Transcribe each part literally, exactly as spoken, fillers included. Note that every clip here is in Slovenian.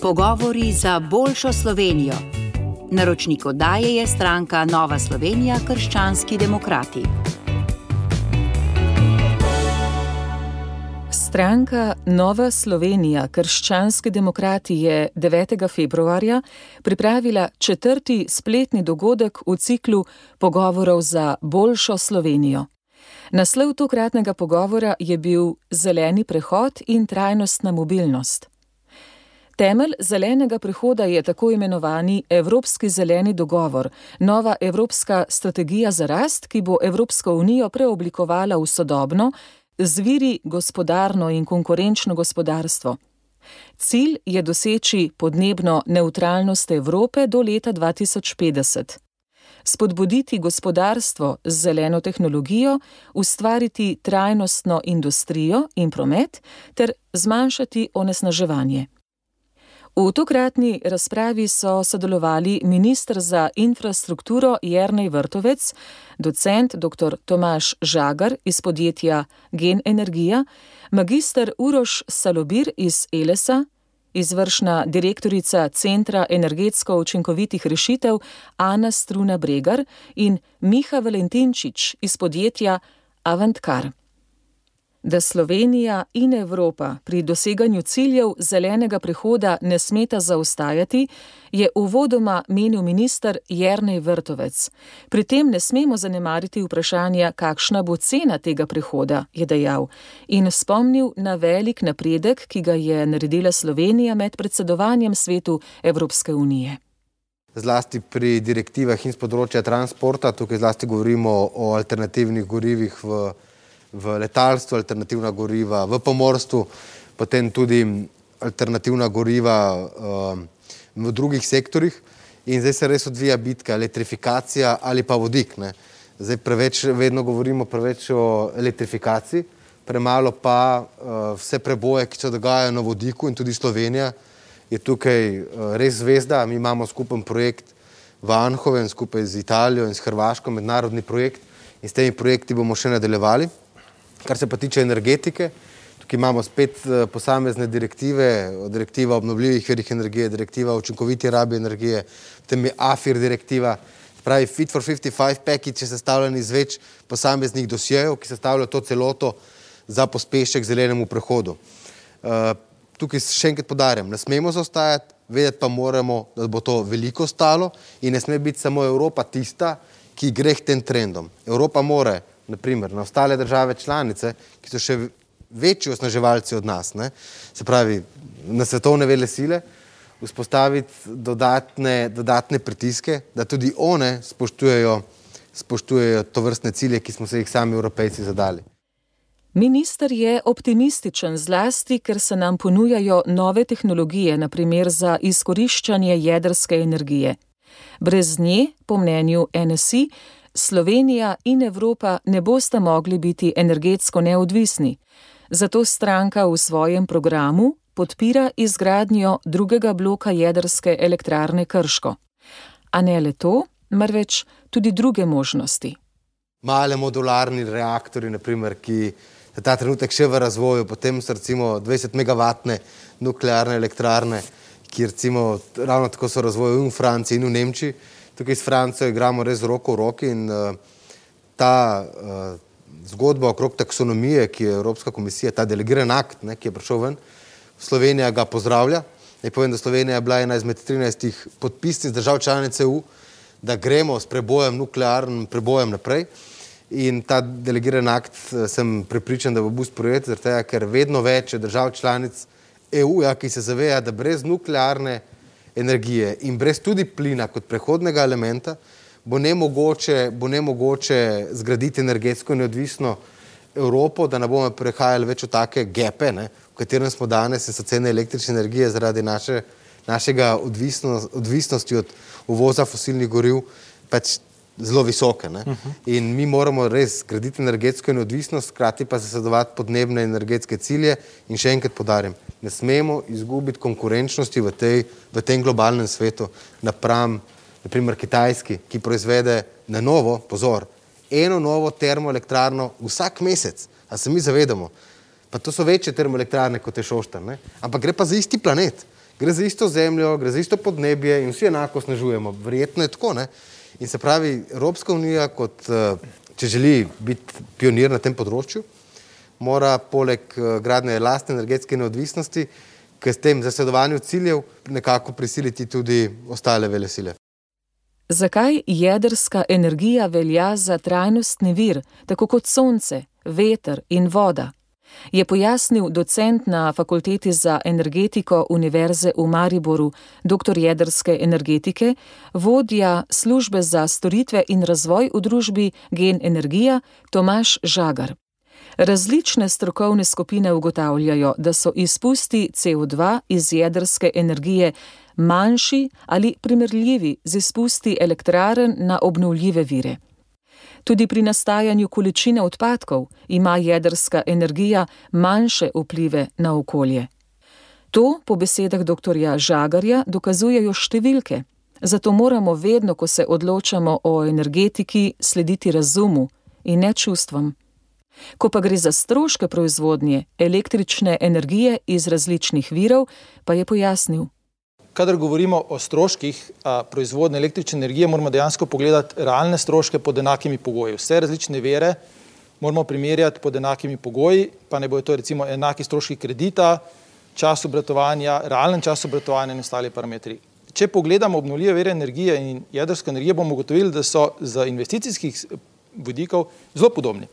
Pogovori za boljšo Slovenijo. Naročnik oddaje je stranka Nova Slovenija – krščanski demokrati. Stranka Nova Slovenija – krščanski demokrati je devetega februarja pripravila četrti spletni dogodek v ciklu Pogovorov za boljšo Slovenijo. Naslov tokratnega pogovora je bil Zeleni prehod in trajnostna mobilnost. Temelj zelenega prehoda je tako imenovani Evropski zeleni dogovor, nova evropska strategija za rast, ki bo Evropsko unijo preoblikovala v sodobno, z viri gospodarno in konkurenčno gospodarstvo. Cilj je doseči podnebno nevtralnost Evrope do leta dva tisoč petdeset. Spodbuditi gospodarstvo z zeleno tehnologijo, ustvariti trajnostno industrijo in promet ter zmanjšati onesnaževanje. V tokratni razpravi so sodelovali minister za infrastrukturo Jernej Vrtovec, docent doktor Tomaž Žagar iz podjetja Gen Energija, magister Uroš Salobir iz Elesa, izvršna direktorica Centra energetsko učinkovitih rešitev Ana Struna Bregar in Miha Valentinčič iz podjetja Avantcar. Da Slovenija in Evropa pri doseganju ciljev zelenega prehoda ne smeta zaostajati, je uvodoma menil minister Jernej Vrtovec. Pri tem ne smemo zanemariti vprašanja, kakšna bo cena tega prehoda, je dejal, in spomnil na velik napredek, ki ga je naredila Slovenija med predsedovanjem svetu Evropske unije. Zlasti pri direktivah in z področja transporta, tukaj zlasti govorimo o alternativnih gorivih v v letalstvu, alternativna goriva v pomorstvu, potem tudi alternativna goriva uh, v drugih sektorjih. In zdaj se res odvija bitka, elektrifikacija ali pa vodik. Ne. Zdaj preveč, vedno govorimo preveč o elektrifikaciji, premalo pa uh, vse preboje, ki se dogajajo na vodiku, in tudi Slovenija je tukaj uh, res zvezda. Mi imamo skupen projekt v Anhovem skupaj z Italijo in s Hrvaško, mednarodni projekt, in s temi projekti bomo še nadaljevali. Kar se pa tiče energetike, tukaj imamo spet posamezne direktive, direktiva obnovljivih virih energije, direktiva o učinkoviti rabi energije, potem je A F I R direktiva, pravi Fit for pedeset pet package je sestavljen iz več posameznih dosjejev, ki sestavljajo to celoto za pospešek zelenemu prehodu. Tukaj še enkrat poudarjam, ne smemo zaostajati, vedeti pa moramo, da bo to veliko stalo in ne sme biti samo Evropa tista, ki gre k tem trendom. Evropa mora naprimer na ostale države članice, ki so še večji osnaževalci od nas, ne, se pravi na svetovne vele sile, vzpostaviti dodatne, dodatne pritiske, da tudi one spoštujejo, spoštujejo tovrstne cilje, ki smo se jih sami Evropejci zadali. Minister je optimističen zlasti, ker se nam ponujajo nove tehnologije, na primer za izkoriščanje jedrske energije. Brez nje, po mnenju N S I, Slovenija in Evropa ne bosta mogli biti energetsko neodvisni. Zato stranka v svojem programu podpira izgradnjo drugega bloka jedrske elektrarne Krško. A ne le to, marveč tudi druge možnosti. Male modularni reaktorji, naprimer, ki so ta trenutek še v razvoju, potem so recimo dvajset megavatne nuklearne elektrarne, ki recimo ravno tako so v razvoju in v Franciji in v Nemčiji. Tukaj s Francijo igramo res roko v roki in uh, ta uh, zgodba okrog taksonomije, ki je Evropska komisija, ta delegiran akt, ne, ki je prišel ven, Slovenija ga pozdravlja. Naj povem, da Slovenija je bila ena izmed trinajstih podpisnic držav članic E U, da gremo s prebojem, nuklearnim prebojem naprej. In ta delegiran akt sem prepričan, da bo bil sprejet, zaradi tega, ker vedno več držav članic E U-ja, ki se zaveja, da brez nuklearne energije in brez tudi plina kot prehodnega elementa bo nemogoče, bo nemogoče zgraditi energetsko neodvisno Evropo, da ne bomo prehajali več v take gepe, ne, v katerem smo danes, in so cene električne energije zaradi naše, našega odvisnost, odvisnosti od uvoza fosilnih goriv pač zelo visoke. Ne. Uh-huh. In mi moramo res zgraditi energetsko neodvisnost, hkrati pa zasledovati podnebne energetske cilje in še enkrat poudarjam, ne smemo izgubiti konkurenčnosti v, tej, v tem globalnem svetu napram, naprimer Kitajski, ki proizvede na novo, pozor, eno novo termoelektrarno vsak mesec. A se mi zavedamo? Pa to so večje termoelektrarne kot je Šoštar, ne? Ampak gre pa za isti planet. Gre za isto zemljo, gre za isto podnebje in vsi enako snežujemo. Verjetno je tako, ne? In se pravi, Evropska unija, kot, če želi biti pionir na tem področju, mora poleg gradnje lastne energetske neodvisnosti k tem zasledovanju ciljev nekako prisiliti tudi ostale velesile. Zakaj jedrska energija velja za trajnostni vir, tako kot sonce, veter in voda? Je pojasnil docent na Fakulteti za energetiko Univerze v Mariboru, doktor jedrske energetike, vodja službe za storitve in razvoj v družbi Gen Energija Tomaž Žagar. Različne strokovne skupine ugotavljajo, da so izpusti C O dva iz jedrske energije manjši ali primerljivi z izpusti elektrarn na obnovljive vire. Tudi pri nastajanju količine odpadkov ima jedrska energija manjše vplive na okolje. To, po besedah doktorja Žagarja, dokazujejo številke, zato moramo vedno, ko se odločamo o energetiki, slediti razumu in ne čustvom. Ko pa gre za stroške proizvodnje električne energije iz različnih virov, pa je pojasnil. Kadar govorimo o stroških proizvodnje električne energije, moramo dejansko pogledati realne stroške pod enakimi pogoji. Vse različne vire moramo primerjati pod enakimi pogoji, pa ne bojo to recimo enaki stroški kredita, čas obratovanja, realen čas obratovanja in ostali parametri. Če pogledamo obnovljive vire energije in jedrsko energijo, bomo ugotovili, da so z investicijskih vidikov zelo podobni.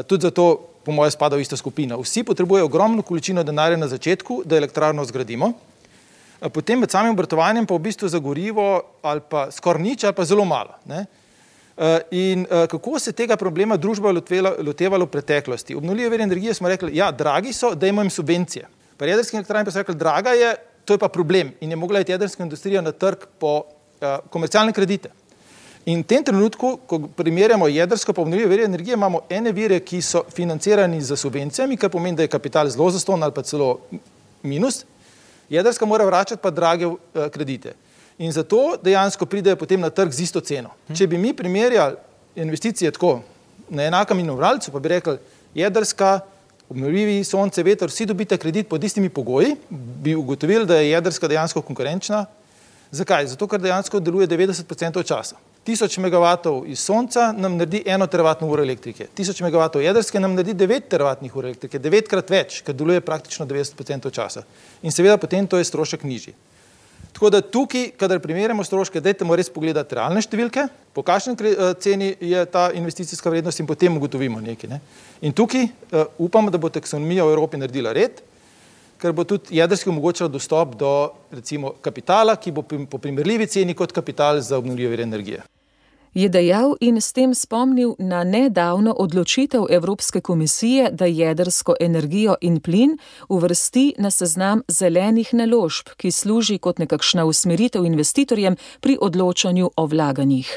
Tudi zato, po moje, spada v isto skupino. Vsi potrebujejo ogromno količino denarja na začetku, da elektrarno zgradimo. Potem med samim obratovanjem pa v bistvu za gorivo ali pa skoraj nič ali pa zelo malo. Ne? In kako se tega problema družba lotevalo v preteklosti? Obnovljive vire energije smo rekli, ja, dragi so, dajmo jim subvencije. Pri jedrski elektrarni pa so rekli, draga je, to je pa problem. In je mogla iti jedrska industrija na trg po komercialne kredite. In v tem trenutku, ko primerjamo jedrsko pa obnovljive vire energije, imamo ene vire, ki so financirani z subvencijami, kar pomeni, da je kapital zelo zastonj ali pa celo minus. Jedrska mora vračati pa drage kredite. In zato dejansko pridejo potem na trg z isto ceno. Če bi mi primerjali investicije tako na enakem inovralcu, pa bi rekli, jedrska, obnovljivi, sonce, veter, vsi dobite kredit pod istimi pogoji, bi ugotovili, da je jedrska dejansko konkurenčna. Zakaj? Zato, ker dejansko deluje devetdeset procentov časa. Tisoč megavatov iz sonca nam naredi eno teravatno uro elektrike. Tisoč megavatov jedrske nam naredi devet teravatnih ur elektrike, devetkrat več, ker deluje praktično devetdeset procentov časa. In seveda potem to je strošek nižji. Tako da tukaj, kadar primerjamo stroške, dajtemo res pogledati realne številke, po kakšni ceni je ta investicijska vrednost in potem ugotovimo nekaj. Ne? In tukaj uh, upamo, da bo taksonomija v Evropi naredila red, ker bo tudi jedrski omogočal dostop do recimo kapitala, ki bo po primerljivi ceni kot kapital za obnovljive vire energije. Je dejal in s tem spomnil na nedavno odločitev Evropske komisije, da jedrsko energijo in plin uvrsti na seznam zelenih naložb, ki služi kot nekakšna usmeritev investitorjem pri odločanju o vlaganjih.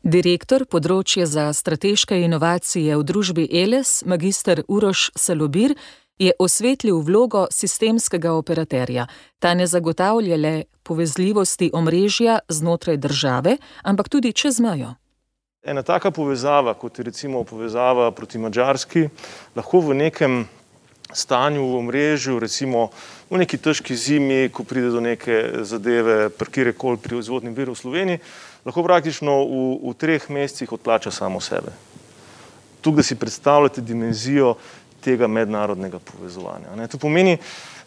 Direktor področja za strateške inovacije v družbi Eles, magister Uroš Salobir, je osvetlil vlogo sistemskega operaterja. Ta ne zagotavlja le povezljivosti omrežja znotraj države, ampak tudi čez mejo. Ena taka povezava, kot je recimo povezava proti Madžarski, lahko v nekem stanju v omrežju, recimo v neki težki zimi, ko pride do neke zadeve, kjerkoli pri proizvodnem viru v Sloveniji, lahko praktično v, v treh mesecih odplača samo sebe. Tukaj, da si predstavljate dimenzijo tega mednarodnega povezovanja. Ne. To pomeni,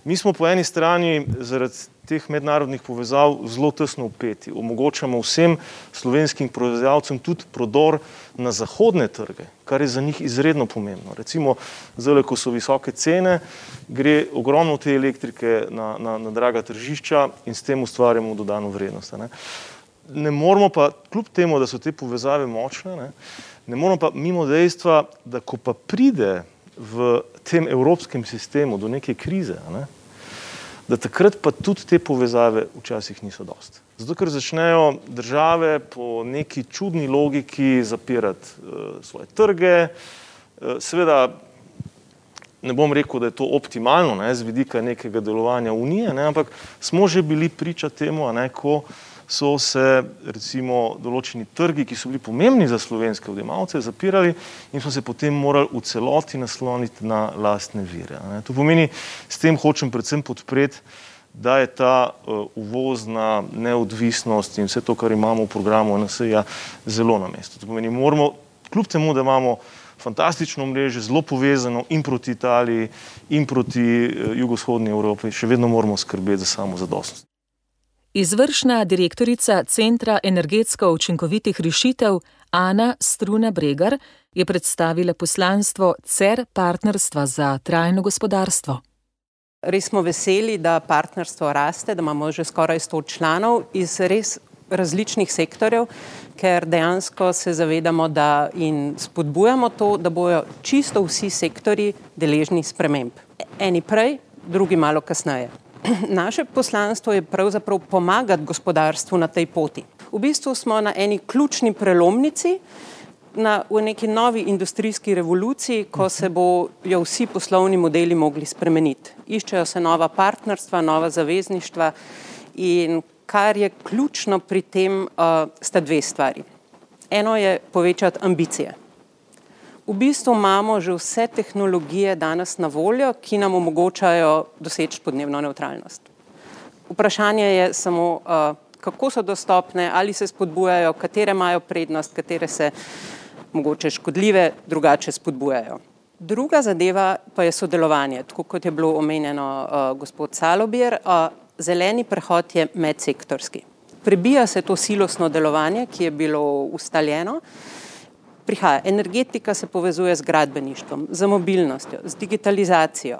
mi smo po eni strani zaradi teh mednarodnih povezav zelo tesno vpeti. Omogočamo vsem slovenskim proizvajalcem tudi prodor na zahodne trge, kar je za njih izredno pomembno. Recimo, zdaj, ko so visoke cene, gre ogromno te elektrike na, na, na draga tržišča in s tem ustvarjamo dodano vrednost. Ne. Ne moramo pa, kljub temu, da so te povezave močne, ne, ne moramo pa mimo dejstva, da ko pa pride v tem evropskem sistemu do neke krize, ne, da takrat pa tudi te povezave včasih niso dosti. Zato, ker začnejo države po neki čudni logiki zapirati uh, svoje trge. Uh, seveda, ne bom rekel, da je to optimalno, ne, z vidika nekega delovanja Unije, ne, ampak smo že bili priča temu, ne, ko so se recimo določeni trgi, ki so bili pomembni za slovenske odjemalce, zapirali in smo se potem morali v celoti nasloniti na lastne vire. Ne. To pomeni, s tem hočem predvsem podpreti da je ta uvozna neodvisnost in vse to, kar imamo v programu N S I-ja, zelo na mestu. To pomeni, moramo, kljub temu, da imamo fantastično omrežje, zelo povezano in proti Italiji in proti jugovzhodni Evropi, še vedno moramo skrbeti za samozadostnost. Izvršna direktorica Centra energetsko učinkovitih rešitev Ana Struna-Bregar je predstavila poslanstvo C E R partnerstva za trajno gospodarstvo. Res smo veseli, da partnerstvo raste, da imamo že skoraj sto članov iz res različnih sektorjev, ker dejansko se zavedamo, da in spodbujamo to, da bojo čisto vsi sektorji deležni sprememb. Eni prej, drugi malo kasneje. Naše poslanstvo je pravzaprav pomagati gospodarstvu na tej poti. V bistvu smo na eni ključni prelomnici, na, v neki novi industrijski revoluciji, ko se bojo vsi poslovni modeli mogli spremeniti. Iščejo se nova partnerstva, nova zavezništva in kar je ključno pri tem, uh, sta dve stvari. Eno je povečati ambicije. V bistvu imamo že vse tehnologije danes na voljo, ki nam omogočajo doseči podnebno nevtralnost. Vprašanje je samo, uh, kako so dostopne, ali se spodbujajo, katere imajo prednost, katere se mogoče škodljive, drugače spodbujajo. Druga zadeva pa je sodelovanje, tako kot je bilo omenjeno uh, gospod Salobir. Uh, zeleni prehod je medsektorski. Prebija se to silosno delovanje, ki je bilo ustaljeno. Prihaja energetika, se povezuje z gradbeništvom, z mobilnostjo, z digitalizacijo.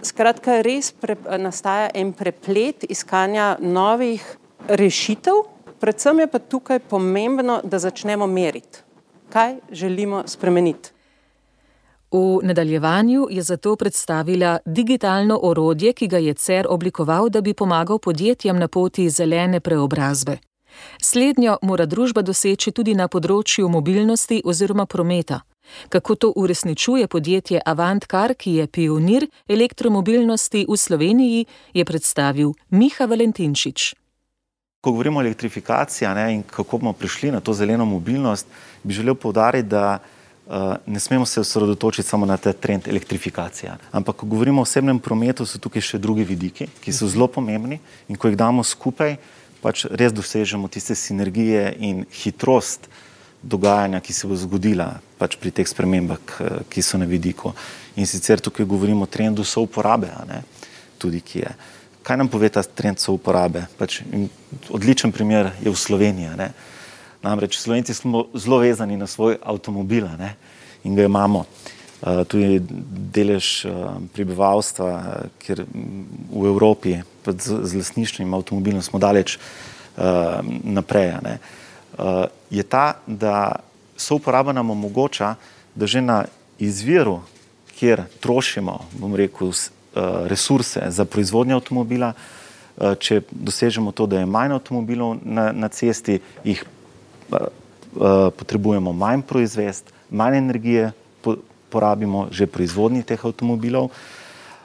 Skratka, res pre, nastaja en preplet iskanja novih rešitev, predvsem je pa tukaj pomembno, da začnemo meriti, kaj želimo spremeniti. V nadaljevanju je zato predstavila digitalno orodje, ki ga je C E R oblikoval, da bi pomagal podjetjem na poti zelene preobrazbe. Slednjo mora družba doseči tudi na področju mobilnosti oziroma prometa. Kako to uresničuje podjetje Avantcar, ki je pionir elektromobilnosti v Sloveniji, je predstavil Miha Valentinčič. Ko govorimo o elektrifikaciji, ne, in kako bomo prišli na to zeleno mobilnost, bi želel poudariti, da uh, ne smemo se osredotočiti samo na ta trend elektrifikacije. Ampak ko govorimo o osebnem prometu, so tukaj še drugi vidiki, ki so zelo pomembni in ko jih damo skupaj, pač res dosežemo tiste sinergije in hitrost dogajanja, ki se bo zgodila pač pri teh spremembah, ki so na vidiku. In sicer tukaj govorimo o trendu souporabe, a ne, tudi ki je. Kaj nam pove ta trend souporabe? Pač odličen primer je v Sloveniji. Ne? Namreč Slovenci smo zelo vezani na svoj avtomobil, ne? In ga imamo. Uh, tudi delež uh, prebivalstva, ker v Evropi z, z lastništvom avtomobilom smo daleč uh, naprej. Ne? Uh, je ta, da souporaba nam omogoča, da že na izviru, kjer trošimo, bom rekel, resurse za proizvodnjo avtomobila, če dosežemo to, da je manj avtomobilov na, na cesti, jih potrebujemo manj proizvesti, manj energije porabimo že proizvodnji teh avtomobilov,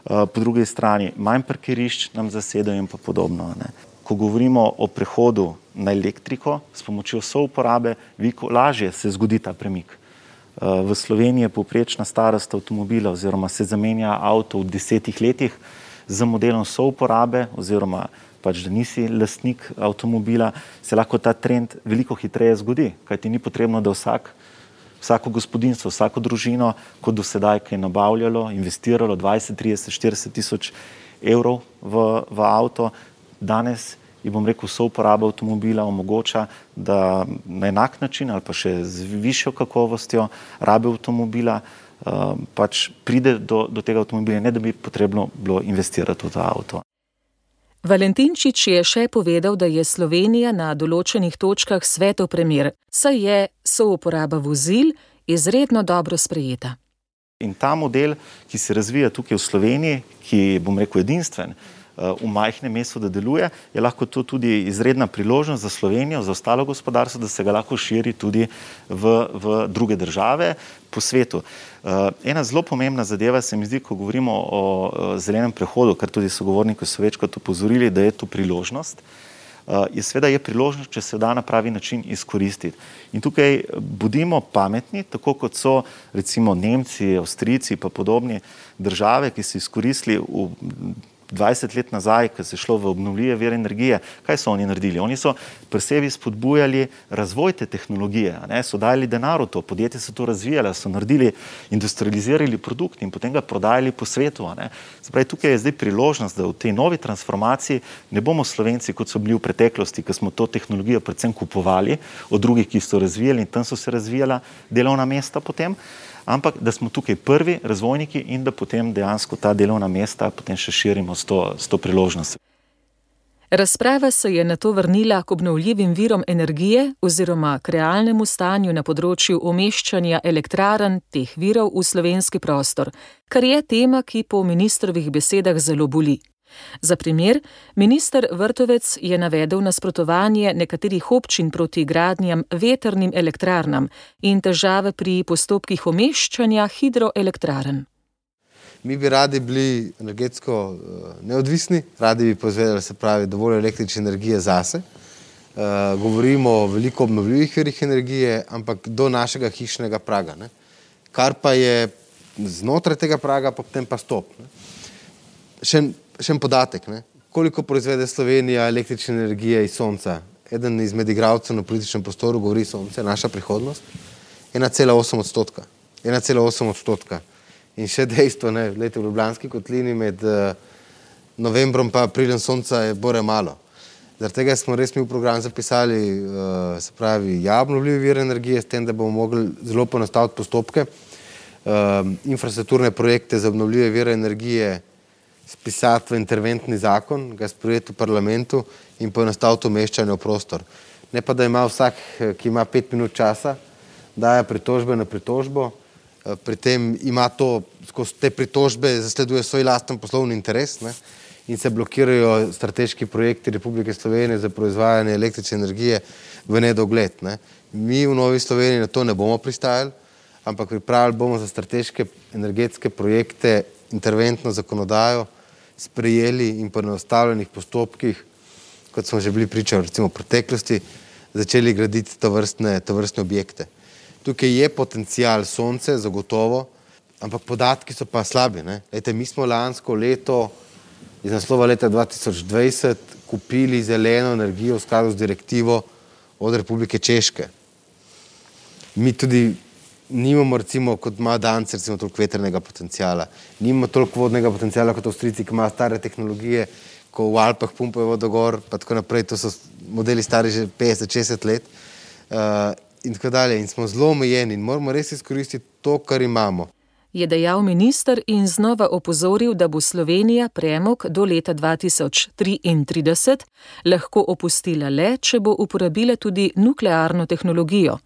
po drugi strani manj parkirišč nam zasedajo in pa podobno. Ne. Ko govorimo o prehodu na elektriko, s pomočjo souporabe, veliko lažje se zgodi ta premik. V Sloveniji je povprečna starost avtomobila oziroma se zamenja avto v desetih letih z modelom souporabe oziroma pač, da nisi lastnik avtomobila, se lahko ta trend veliko hitreje zgodi, kajti ni potrebno, da vsak, vsako gospodinjstvo, vsako družino, kot do sedaj, ki je nabavljalo, investiralo dvajset, trideset, štirideset tisoč evrov v, v avto, danes in bom rekel, souporaba avtomobila omogoča, da na enak način ali pa še z višjo kakovostjo rabe avtomobila uh, pač pride do, do tega avtomobila, ne da bi potrebno bilo investirati v ta avto. Valentinčič je še povedal, da je Slovenija na določenih točkah svetov primer, saj je souporaba vozil izredno dobro sprejeta. In ta model, ki se razvija tukaj v Sloveniji, ki bom rekel edinstven, v majhnem mestu, da deluje, je lahko to tudi izredna priložnost za Slovenijo, za ostalo gospodarstvo, da se ga lahko širi tudi v, v druge države po svetu. Ena zelo pomembna zadeva se mi zdi, ko govorimo o zelenem prehodu, kar tudi sogovorniki so večkrat opozorili, da je to priložnost, je seveda je priložnost, če se da na pravi način izkoristiti. In tukaj bodimo pametni, tako kot so recimo Nemci, Avstrijci pa podobni države, ki so izkoristili v dvajset let nazaj, ko se je šlo v obnovljive vire energije, kaj so oni naredili? Oni so pri sebi spodbujali razvoj te tehnologije, ne? So dali denar v to, podjetje so to razvijali, so naredili, industrializirali produkt in potem ga prodajali po svetu. Ne? Zdaj, tukaj je zdaj priložnost, da v tej novi transformaciji ne bomo Slovenci, kot so bili v preteklosti, ko smo to tehnologijo predvsem kupovali od drugih, ki so razvijali in tam so se razvijala delovna mesta potem, ampak da smo tukaj prvi razvojniki in da potem dejansko ta delovna mesta potem še širimo s to, s to priložnostjo. Razprava se je nato vrnila k obnovljivim virom energije oziroma k realnemu stanju na področju umeščanja elektrarn teh virov v slovenski prostor, kar je tema, ki po ministrovih besedah zelo boli. Za primer, minister Vrtovec je navedel nasprotovanje nekaterih občin proti gradnjam vetrnim elektrarnam in težave pri postopkih umeščanja hidroelektrarn. Mi bi radi bili energetsko neodvisni, radi bi proizvedali, se pravi, dovolj električne energije zase. Uh, govorimo o veliko obnovljivih virih energije, ampak do našega hišnega praga. Ne? Kar pa je znotraj tega praga, potem pa stop. Ne? Še Še en podatek, ne? Koliko proizvede Slovenija električne energije iz sonca? Eden izmed igralcev na političnem prostoru govori, sonce je naša prihodnost. ena cela osem odstotka. ena cela osem odstotka. In še dejstvo, ne, lete v Ljubljanski kotlini med uh, novembrom pa aprilem sonca je bore malo. Zaradi tega smo res mi v program zapisali, uh, se pravi, ja, obnovljivi vir energije, s tem, da bomo mogli zelo poenostaviti postopke, uh, infrastrukturne projekte za obnovljive vire energije spisati v interventni zakon, ga sprejeti v parlamentu in poenostaviti umeščanje v prostor. Ne pa, da ima vsak, ki ima pet minut časa, daje pritožbe na pritožbo, pri tem ima to, skozi te pritožbe zasleduje svoj lasten poslovni interes, ne, in se blokirajo strateški projekti Republike Slovenije za proizvajanje električne energije v nedogled. Ne. Mi v Novi Sloveniji na to ne bomo pristajali, ampak pripravili bomo za strateške energetske projekte interventno zakonodajo, sprejeli in po enostavljenih postopkih, kot smo že bili pričali recimo v preteklosti, začeli graditi tovrstne, tovrstne objekte. Tukaj je potencial sonce, zagotovo, ampak podatki so pa slabi. Ne? Lejte, mi smo lansko leto iz naslova leta dva tisoč dvajset kupili zeleno energijo v skladu z direktivo od Republike Češke. Mi tudi nimamo, recimo, kot ima Danci, recimo, toliko vetrnega potencijala. Nimamo toliko vodnega potencijala kot Avstrijci, ki imajo stare tehnologije, ko v Alpah pumpajo vodogor, pa tako naprej. To so modeli stari že petdeset šestdeset let uh, in tako dalje. In smo zelo omejeni in moramo res izkoristiti to, kar imamo. Je dejal minister in znova opozoril, da bo Slovenija premog do leta dva tisoč triintrideset lahko opustila le, če bo uporabila tudi nuklearno tehnologijo,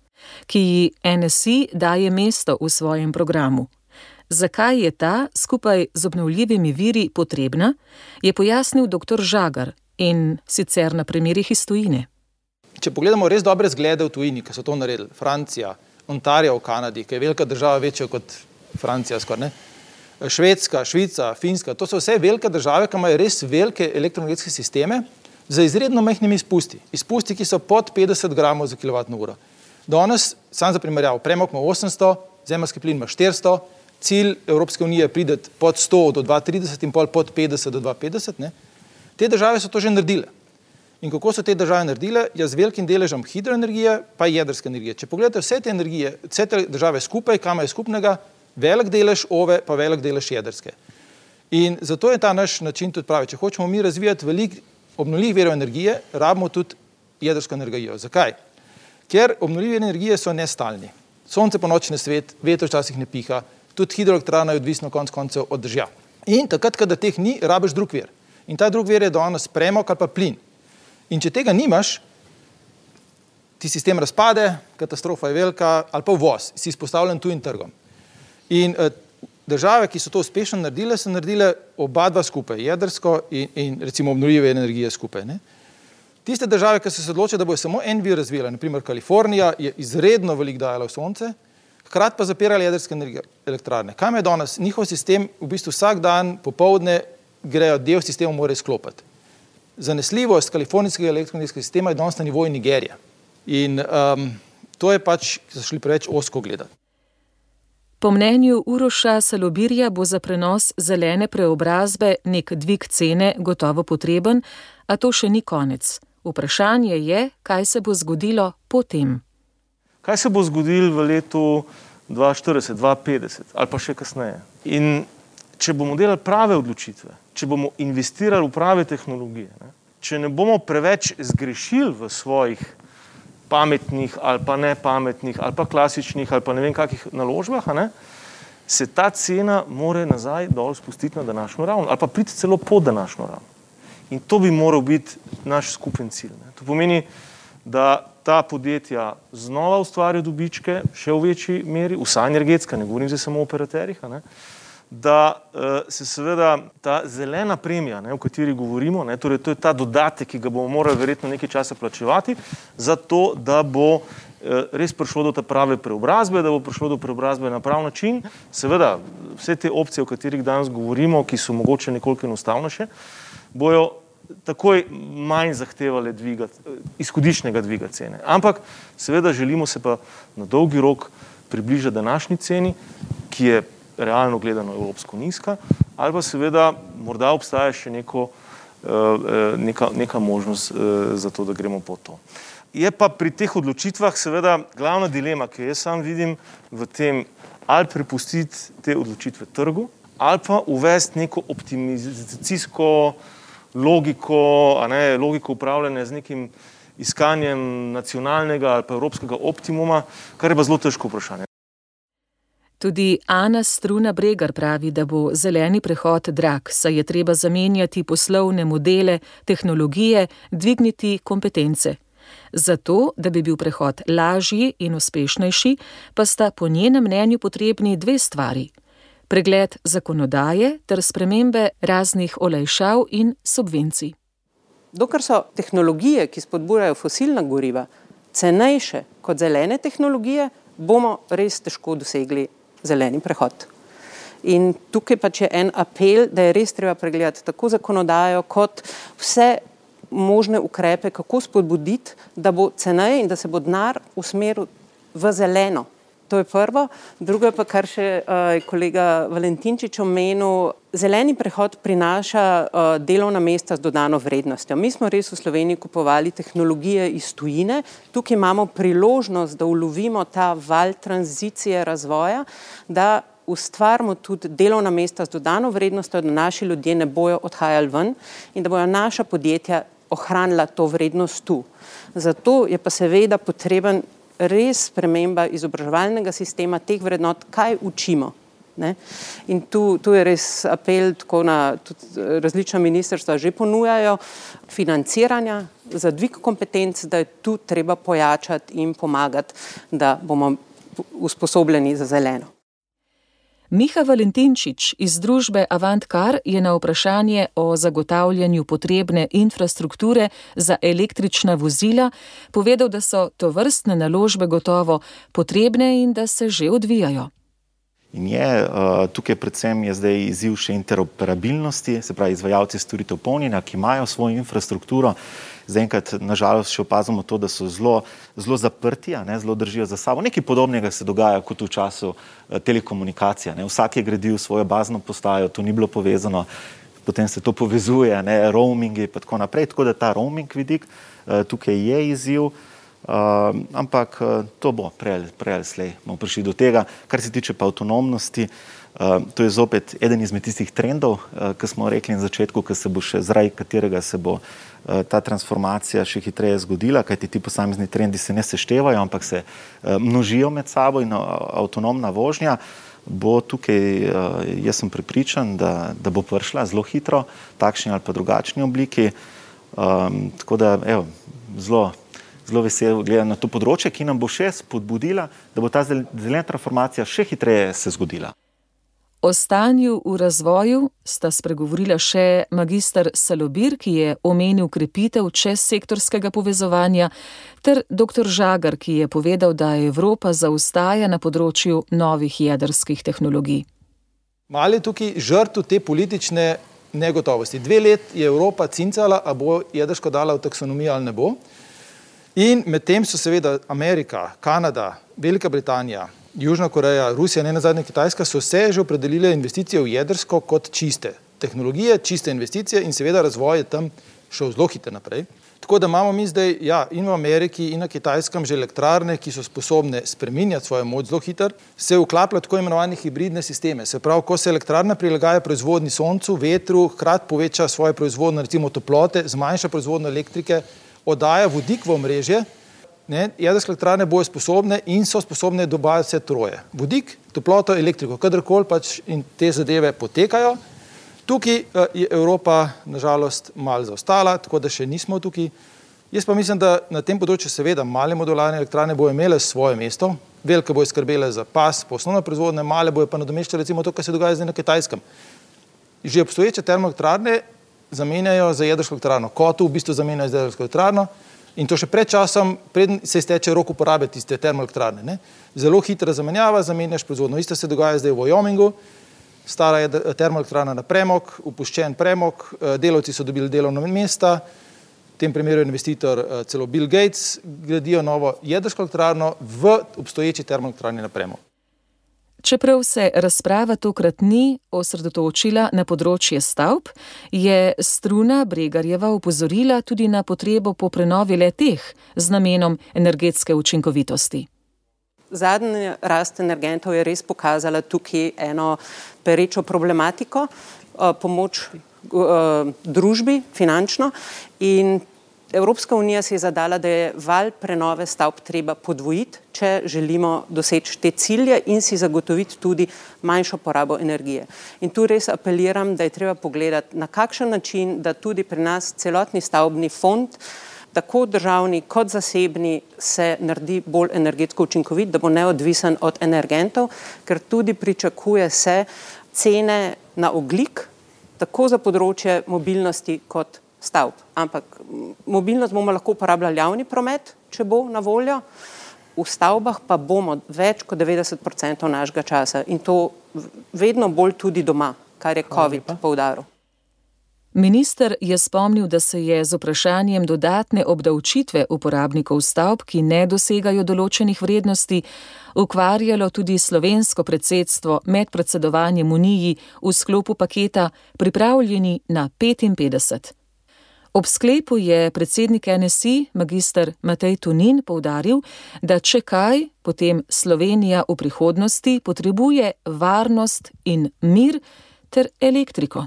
ki ji N S I daje mesto v svojem programu. Zakaj je ta skupaj z obnovljivimi viri potrebna, je pojasnil doktor Žagar in sicer na primerih iz tujine. Če pogledamo res dobre zglede v tujini, ki so to naredili, Francija, Ontario v Kanadi, ki je velika država, večja kot Francija skoraj, ne? Švedska, Švica, Finska, to so vse velike države, ki imajo res velike elektroenergetske sisteme z izredno majhnimi izpusti. Izpusti, ki so pod petdeset gramov za kilovatno uro. Danes, sam za primerjavo, premog ima osemsto, zemeljski plin ima štiristo, cilj Evropske unije pride pod sto do dva tisoč trideset in pol pod petdeset do dva tisoč petdeset. Ne? Te države so to že naredile. In kako so te države naredile? Ja, z velikim deležem hidroenergije pa jedrske energije. Če pogledate vse te energije, vse te države skupaj, kam je skupnega, velik delež ove pa velik delež jedrske. In zato je ta naš način tudi pravi. Če hočemo mi razvijati veliko obnovljivih virov energije, rabimo tudi jedrsko energijo. Zakaj? Ker obnovljive energije so nestalni. Sonce po noči ne svet, veter včasih ne piha, tudi hidroelektrarna je odvisno konec koncev od dežja. In takrat, kada teh ni, rabiš drug vir. In ta drug vir je danes premog ali pa plin. In če tega nimaš, ti sistem razpade, katastrofa je velika, ali pa uvoz, si izpostavljen tujim trgom. In eh, države, ki so to uspešno naredile, so naredile oba dva skupaj, jedrsko in, in recimo obnovljive energije skupaj. Ne? Tiste države, ki so se odločile, da bojo samo en vir razvijale, naprimer Kalifornija je izredno veliko dajala v sonce, hkrati pa zapirali jedrske elektrarne. Kam je danes? Njihov sistem v bistvu vsak dan popoldne grejo del sistema mora izklopiti. Zanesljivost kalifornijskega elektroenergetskega sistema je danes na nivoju Nigerije. In um, to je pač, ki so šli preveč ozko gledati. Po mnenju Uroša Salobirja bo za prenos zelene preobrazbe nek dvig cene gotovo potreben, a to še ni konec. Vprašanje je, kaj se bo zgodilo potem. Kaj se bo zgodilo v letu dva tisoč štirideset, dva tisoč petdeset ali pa še kasneje? In če bomo delali prave odločitve, če bomo investirali v prave tehnologije, ne, če ne bomo preveč zgrešili v svojih pametnih ali pa nepametnih ali pa klasičnih ali pa ne vem kakih naložbah, ne, se ta cena more nazaj dol spustiti na današnjo raven ali pa priti celo pod današnjo raven. In to bi moral biti naš skupen cilj. Ne. To pomeni, da ta podjetja znova ustvarjajo dobičke, še v večji meri, vsa energetska, ne govorim zdaj samo o operaterjih, ne, da uh, se seveda ta zelena premija, ne, o kateri govorimo, ne, torej to je ta dodatek, ki ga bomo morali verjetno nekaj časa plačevati, zato da bo uh, res prišlo do te prave preobrazbe, da bo prišlo do preobrazbe na prav način. Seveda, vse te opcije, o katerih danes govorimo, ki so mogoče nekoliko enostavnejše, bojo takoj manj zahtevale dviga, izhodiščnega dviga cene. Ampak seveda želimo se pa na dolgi rok približati današnji ceni, ki je realno gledano evropsko nizka, ali pa seveda morda obstaja še neko, neka, neka možnost za to, da gremo po to. Je pa pri teh odločitvah seveda glavna dilema, ki jaz sam vidim v tem, ali prepustiti te odločitve trgu, ali pa uvesti neko optimizacijsko logiko, a ne, logiko upravljanja z nekim iskanjem nacionalnega ali pa evropskega optimuma, kar je pa zelo težko vprašanje. Tudi Ana Struna Bregar pravi, da bo zeleni prehod drag, saj je treba zamenjati poslovne modele, tehnologije, dvigniti kompetence. Zato, da bi bil prehod lažji in uspešnejši, pa sta po njenem mnenju potrebni dve stvari. Pregled zakonodaje ter spremembe raznih olajšav in subvencij. Dokler so tehnologije, ki spodbujajo fosilna goriva, cenejše kot zelene tehnologije, bomo res težko dosegli zeleni prehod. In tukaj pač je en apel, da je res treba pregledati tako zakonodajo kot vse možne ukrepe, kako spodbuditi, da bo ceneje in da se bo denar usmeril v zeleno. To je prvo. Drugo je pa, kar še uh, kolega Valentinčič omenil, zeleni prehod prinaša uh, delovna mesta z dodano vrednostjo. Mi smo res v Sloveniji kupovali tehnologije iz tujine, tukaj imamo priložnost, da ulovimo ta val tranzicije razvoja, da ustvarimo tudi delovna mesta z dodano vrednostjo, da naši ljudje ne bojo odhajali ven in da bojo naša podjetja ohranila to vrednost tu. Zato je pa seveda potreben res sprememba izobraževalnega sistema, teh vrednot, kaj učimo. Ne? In tu, tu je res apel, tako na tudi različna ministrstva že ponujajo financiranja za dvig kompetenc, da je tu treba pojačati in pomagati, da bomo usposobljeni za zeleno. Miha Valentinčič iz družbe Avantcar je na vprašanje o zagotavljanju potrebne infrastrukture za električna vozila povedal, da so tovrstne naložbe gotovo potrebne in da se že odvijajo. In je, tukaj predvsem je zdaj izziv še interoperabilnosti, se pravi izvajalci storitev polnjenja, ki imajo svojo infrastrukturo. Zaenkrat, nažalost, še opazimo to, da so zelo, zelo zaprti, ne, zelo držijo za sabo. Nekaj podobnega se dogaja kot v času telekomunikacije. Ne. Vsak je gradil svojo bazno postajo, to ni bilo povezano, potem se to povezuje, ne, roamingi in tako naprej. Tako da ta roaming vidik tukaj je izziv. Uh, ampak uh, to bo prej ali slej bomo prišli do tega. Kar se tiče pa avtonomnosti, uh, to je zopet eden izmed tistih trendov, uh, ki smo rekli na začetku, ki se bo še zaradi katerega se bo uh, ta transformacija še hitreje zgodila, kajti ti posamezni trendi se ne seštevajo, ampak se uh, množijo med sabo in uh, avtonomna vožnja bo tukaj, uh, jaz sem prepričan, da, da bo prišla zelo hitro, takšni ali pa drugačni obliki. Um, tako da, evo, zelo zelo vesel gledam na to področje, ki nam bo še spodbudila, da bo ta zelena transformacija še hitreje se zgodila. O stanju v razvoju sta spregovorila še magister Salobir, ki je omenil krepitev čezsektorskega povezovanja, ter doktor Žagar, ki je povedal, da Evropa zaostaja na področju novih jedrskih tehnologij. Malo je tukaj žrtev te politične negotovosti. Dve let je Evropa cincala, a bo jedrsko dala v taksonomijo ali ne bo. In medtem so seveda Amerika, Kanada, Velika Britanija, Južna Koreja, Rusija, ne nazadnje Kitajska, so se že opredelile investicije v jedrsko kot čiste tehnologije, čiste investicije in seveda razvoj je tam šel zelo hitro naprej. Tako da imamo mi zdaj, ja, in v Ameriki in na Kitajskem že elektrarne, ki so sposobne spreminjati svojo moč zelo hitro, se vklapljajo tako imenovane hibridne sisteme. Se pravi, ko se elektrarna prilagaja proizvodnji soncu, vetru, hkrati poveča svojo proizvodnjo, recimo toplote, zmanjša proizvodnjo elektrike, oddaja vodik v omrežje, ne, jedrske elektrarne bojo sposobne in so sposobne dobaviti vse troje. Vodik, toploto, elektriko, kadarkoli pač in te zadeve potekajo. Tukaj je Evropa nažalost malo zaostala, tako da še nismo tukaj. Jaz pa mislim, da na tem področju seveda male modularne elektrarne bojo imele svoje mesto, velike bojo skrbele za pas, po osnovne proizvodne, male bojo pa nadomeščale recimo to, kar se dogaja zdaj na Kitajskem. Že obstoječe termoelektrarne zamenjajo za jedrsko elektrarno. Kotel v bistvu zamenjajo za jedrsko elektrarno in to še pred časom, preden se izteče rok uporabe tiste termoelektrarne, ne. Zelo hitra zamenjava, zamenjaš proizvodno. Isto se dogaja zdaj v Wyomingu. Stara je termoelektrarna na premog, upuščen premog, delavci so dobili delovna mesta, v tem primeru je investitor celo Bill Gates, gradijo novo jedrsko elektrarno v obstoječi termoelektrarni na premog. Čeprav se razprava tokrat ni osredotočila na področje stavb, je Struna Bregarjeva opozorila tudi na potrebo po prenovi le-teh z namenom energetske učinkovitosti. Zadnja rast energentov je res pokazala tukaj eno perečo problematiko, pomoč družbi finančno in Evropska unija si je zadala, da je val prenove stavb treba podvojiti, če želimo doseči te cilje in si zagotoviti tudi manjšo porabo energije. In tu res apeliram, da je treba pogledati, na kakšen način, da tudi pri nas celotni stavbni fond, tako državni kot zasebni, se naredi bolj energetsko učinkovit, da bo neodvisen od energentov, ker tudi pričakuje se cene na ogljik, tako za področje mobilnosti kot stavb. Ampak mobilnost bomo lahko uporabljali javni promet, če bo na voljo, v stavbah pa bomo več kot devetdeset procentov našega časa in to vedno bolj tudi doma, kar je COVID poudaril. Minister je spomnil, da se je z vprašanjem dodatne obdavčitve uporabnikov stavb, ki ne dosegajo določenih vrednosti, ukvarjalo tudi slovensko predsedstvo med predsedovanjem Uniji v sklopu paketa Pripravljeni na petinpetdeset. Ob sklepu je predsednik N S I, magister Matej Tonin, poudaril, da če kaj, potem Slovenija v prihodnosti potrebuje varnost in mir ter elektriko.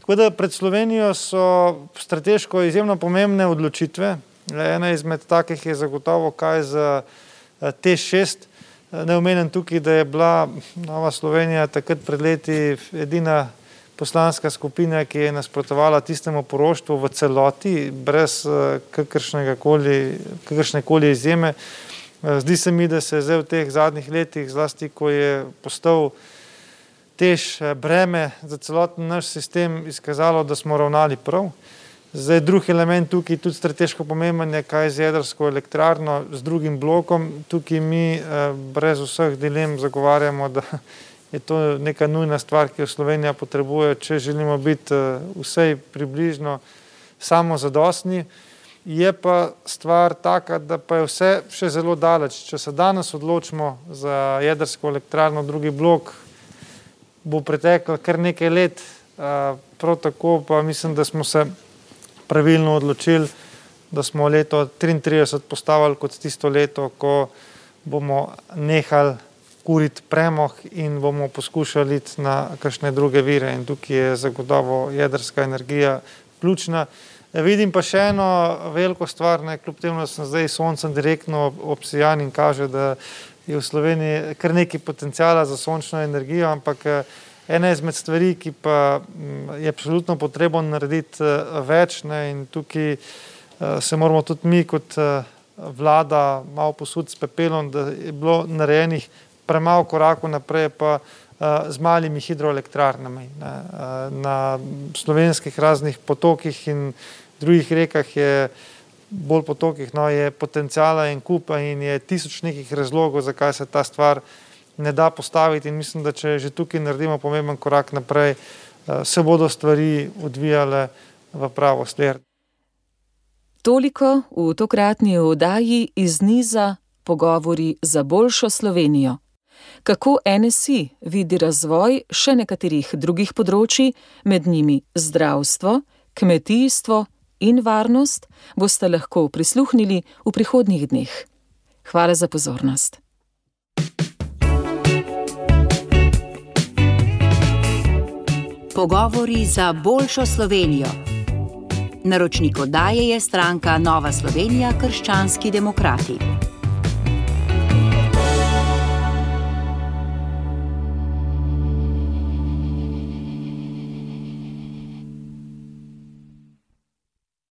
Tako da pred Slovenijo so strateško izjemno pomembne odločitve. Ena izmed takih je zagotovo kaj za T E šest. Ne omenim tukaj, da je bila Nova Slovenija takrat pred leti edina poslanska skupina, ki je nasprotovala tistemu poroštvu v celoti, brez kakršnekoli izjeme. Zdi se mi, da se je zdaj v teh zadnjih letih, zlasti ko je postal tež breme za celoten naš sistem, izkazalo, da smo ravnali prav. Zdaj drug element tukaj, tudi strateško pomemben je, kaj z jedrsko elektrarno, z drugim blokom. Tukaj mi brez vseh dilem zagovarjamo, da je to neka nujna stvar, ki jo Slovenija potrebuje, če želimo biti vsej približno samozadostni. Je pa stvar taka, da pa je vse še zelo daleč. Če se danes odločimo za jedrsko elektrarno, drugi blok, bo preteklo kar nekaj let. Prav tako pa mislim, da smo se pravilno odločili, da smo leto triintrideset postavili kot tisto leto, ko bomo nehali kuriti premog in bomo poskušali iti na kakšne druge vire. In tukaj je zagotovo jedrska energija ključna. Vidim pa še eno veliko stvar, ne, kljub temu, da sem zdaj soncem direktno obsijan in kaže, da je v Sloveniji kar nekaj potencijala za sončno energijo, ampak ena izmed stvari, ki pa je absolutno potrebno narediti več, ne, in tukaj se moramo tudi mi kot vlada malo posuditi s pepelom, da je bilo narejenih premalo korakov naprej, pa z malimi hidroelektrarnami. Ne. Na slovenskih raznih potokih in drugih rekah je bolj potokih, no, je potencijala in kupa in je tisoč nekih razlogov, zakaj se ta stvar ne da postaviti in mislim, da če že tukaj naredimo pomemben korak naprej, se bodo stvari odvijale v pravo smer. Toliko v tokratni oddaji iz niza Pogovori za boljšo Slovenijo. kako N S I vidi razvoj še nekaterih drugih področji, med njimi zdravstvo, kmetijstvo in varnost, boste lahko prisluhnili v prihodnjih dneh. Hvala za pozornost. Pogovori za boljšo Slovenijo. Naročnik oddaje je stranka Nova Slovenija – krščanski demokrati.